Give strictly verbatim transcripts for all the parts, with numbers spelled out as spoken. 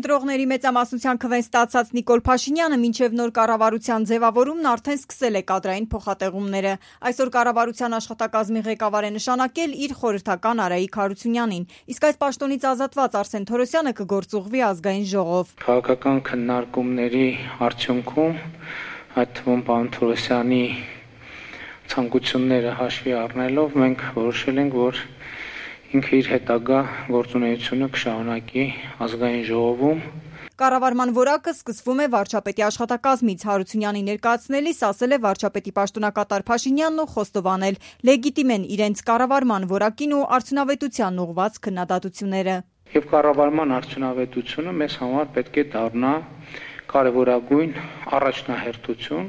Ընտրողների մեծամասնության քվեն ստացած Նիկոլ Փաշինյանը մինչև նոր կառավարության ձևավորումն արդեն սկսել է կադրային փոխատեղումները։ Այսօր կառավարության աշխատակազմի ղեկավար է նշանակել իր խորհրդական Արայիկ Հարությունյանին, իսկ այս պաշտոնից ազատված Արսեն Թորոսյանը կգործուղվի ազգային ժողով։ Քաղաքական քննարկումների արդյունքում, այդ թվում պարոն Թորոսյանի ցանկությունները հաշվի առնելով, մենք որոշել ենք, որ ինքը իր հետագա գործունեությունը կշարունակի ազգային ժողովում։ Կառավարման որակը սկսվում է վարչապետի աշխատակազմից։ Հարությունյանի ներկայացնելիս ասել է վարչապետի պաշտոնակատար Փաշինյանն ու խոստովանել լեգիտիմ են իրենց կառավարման որակին ու արդյունավետությանն ուղղված քննադատությունները։ Եվ կառավարման արդյունավետությունը մեզ համար պետք է դառնա կարևորագույն առաջնահերթություն,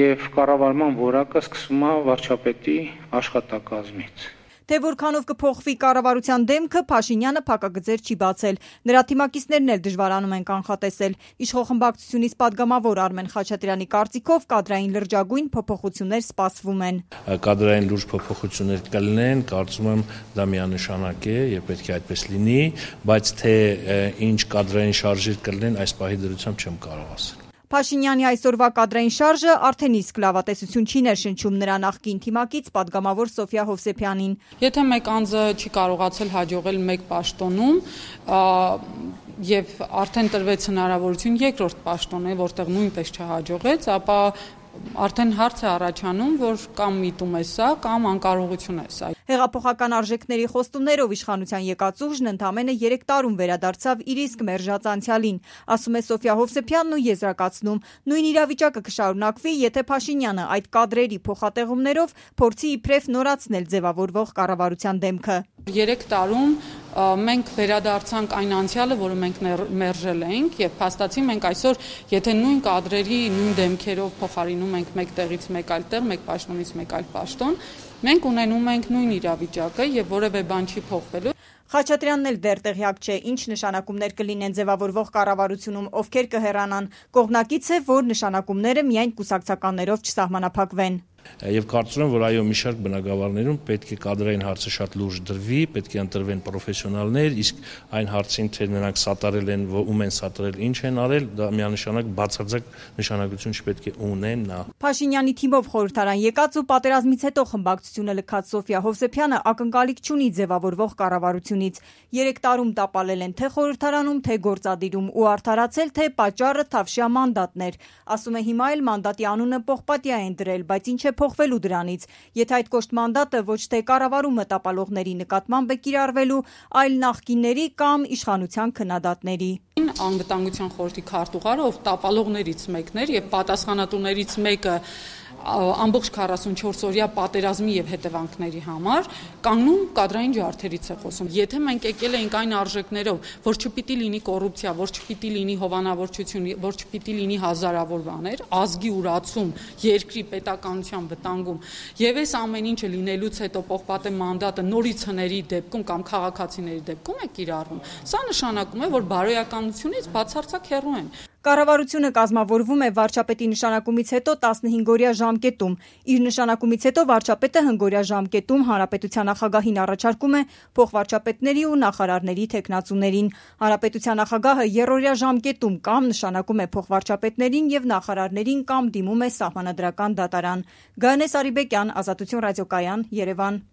եւ կառավարման որակը սկսվում է վարչապետի աշխատակազմից։ Թե որքանով կփոխվի կառավարության դեմքը, Փաշինյանը փակագծեր չի բացել։ Նրա թիմակիցներն էլ դժվարանում են կանխատեսել։ Իշխող խմբակցությունից падգամավոր Արմեն Խաչատրյանի կարծիքով կադրային լրջագույն փոփոխություններ սպասվում են։ Կադրային լուրջ փոփոխություններ կլինեն, կարծում եմ դա միանշանակ է եւ պետք է այդպես լինի, բայց թե ինչ կադրային շարժեր կլինեն, այս պահի դրությամբ չեմ կարող ասել։ Փաշինյանի այսօրվա կադրային շարժը արդեն իսկ լավատեսություն չի ներշնչում նրա նախկին թիմակից падգամավոր Սոֆիա Հովսեփյանին։ Եթե մեկ անձը չի կարողացել հաջողել մեկ պաշտոնում եւ արդեն տրվեց հնարավորություն երկրորդ պաշտոն է, որտեղ նույնպես չհաջողեց, ապա արդեն հարց է առաջանում, որ կամ միտում է սա, կամ անկարողություն է սա։ Հեղափոխական արժեքների խոստումներով իշխանության եկած ուժն ընդամենը երեք տարում վերադարձավ իր իսկ մերժած անցյալին, ասում է Սոֆիա Հովսեփյանն ու եզրակացնում. նույն իրավիճակը կշարունակվի, եթե Փաշինյանը այդ կադրերի փոխատեղումներով փորձի իբրև նորացնել ձևավորվող կառավարության դեմքը։ Երեք տարում մենք վերադարձանք այն անցյալը, որը մենք մերժել ենք, եւ փաստացի մենք այսօր, եթե նույն կադրերի նույն դեմքերով փոխարինում ենք մեկ տեղից մեկ այլ տեղ, մեկ պաշտոնից մեկ այլ պաշտոն, մենք ունենում ենք նույն իրավիճակը եւ որևէ բան չի փոխվելու։ Խաչատրյանն էլ դեռ տեղյակ չէ, ինչ նշանակումներ կլինեն ձևավորվող կառավարությունում, ովքեր կհեռանան։ Կողմնակից է, որ նշանակումները միայն կուսակցականներով չսահմանափակվեն։ Եվ կարծում եմ, որ այո, մի շարք բնակավարներում պետք է կադրային հարցը շատ լուրջ դրվի, պետք է ընտրվեն պրոֆեսիոնալներ, իսկ այն հարցին, թե նրանք սատարել են, ում են սատարել, ինչ են արել, դա միանշանակ բացարձակ նշանակություն չպետք է ունենա։ Փաշինյանի թիմով խորհրդարան եկած ու պատերազմից հետո խմբակցությունը լքած Սոֆիա Հովսեփյանը ակնկալիք չունի ձևավորվող կառավարությունից։ Երեք տարում տապալել են թե խորհրդարանում, թե գործադիրում ու արդարացել, թե պատճառը թավշյա մանդատներ։ Ասում է հիմա էլ մանդատի անունը պողպատյա են դրել, բայց ինչ է փոխվելու դրանից, եթե այդ կոշտ մանդատը ոչ թե կառավարումը տապալողների նկատմամբ է կիրառվելու, այլ նախկինների կամ իշխանության քննադատների։ Անվտանգության խորհրդի քարտուղարը, ով տապալողներից մեկն էր եւ պատասխանատուներից մեկը ամբողջ քառասունչորս օրյա պատերազմի եւ հետևանքների համար կանգնում կադրային ջարդերից է խոսում։ Եթե մենք եկել ենք այն արժեքներով, որ չպիտի լինի կոռուպցիա, որ չպիտի լինի հովանավորչություն, որ չպիտի լինի հազարավոր բաներ, ազգի ուրացում, երկրի պետականության վտանգում, եւ այս ամեն ինչը լինելուց հետո պողպատե մանդատը նորից հների դեպքում կամ քաղաքացիների դեպքում է կիրառվում, սա նշանակում է, որ բարոյականությունից բացարձակ հեռու են։ Կառավարությունը կազմավորվում է վարչապետի նշանակումից հետո տասնհինգ-օրյա ժամկետում։ Իր նշանակումից հետո վարչապետը հնգօրյա ժամկետում հանրապետության նախագահին առաջարկում է փոխվարչապետների ու նախարարների թեկնածուներին։ Հանրապետության նախագահը եռօրյա ժամկետում կամ նշանակում է փոխվարչապետներին եւ նախարարներին կամ դիմում է սահմանադրական դատարան։ Գայանե Սարիբեկյան, Ազատություն ռադիոկայան, Երևան։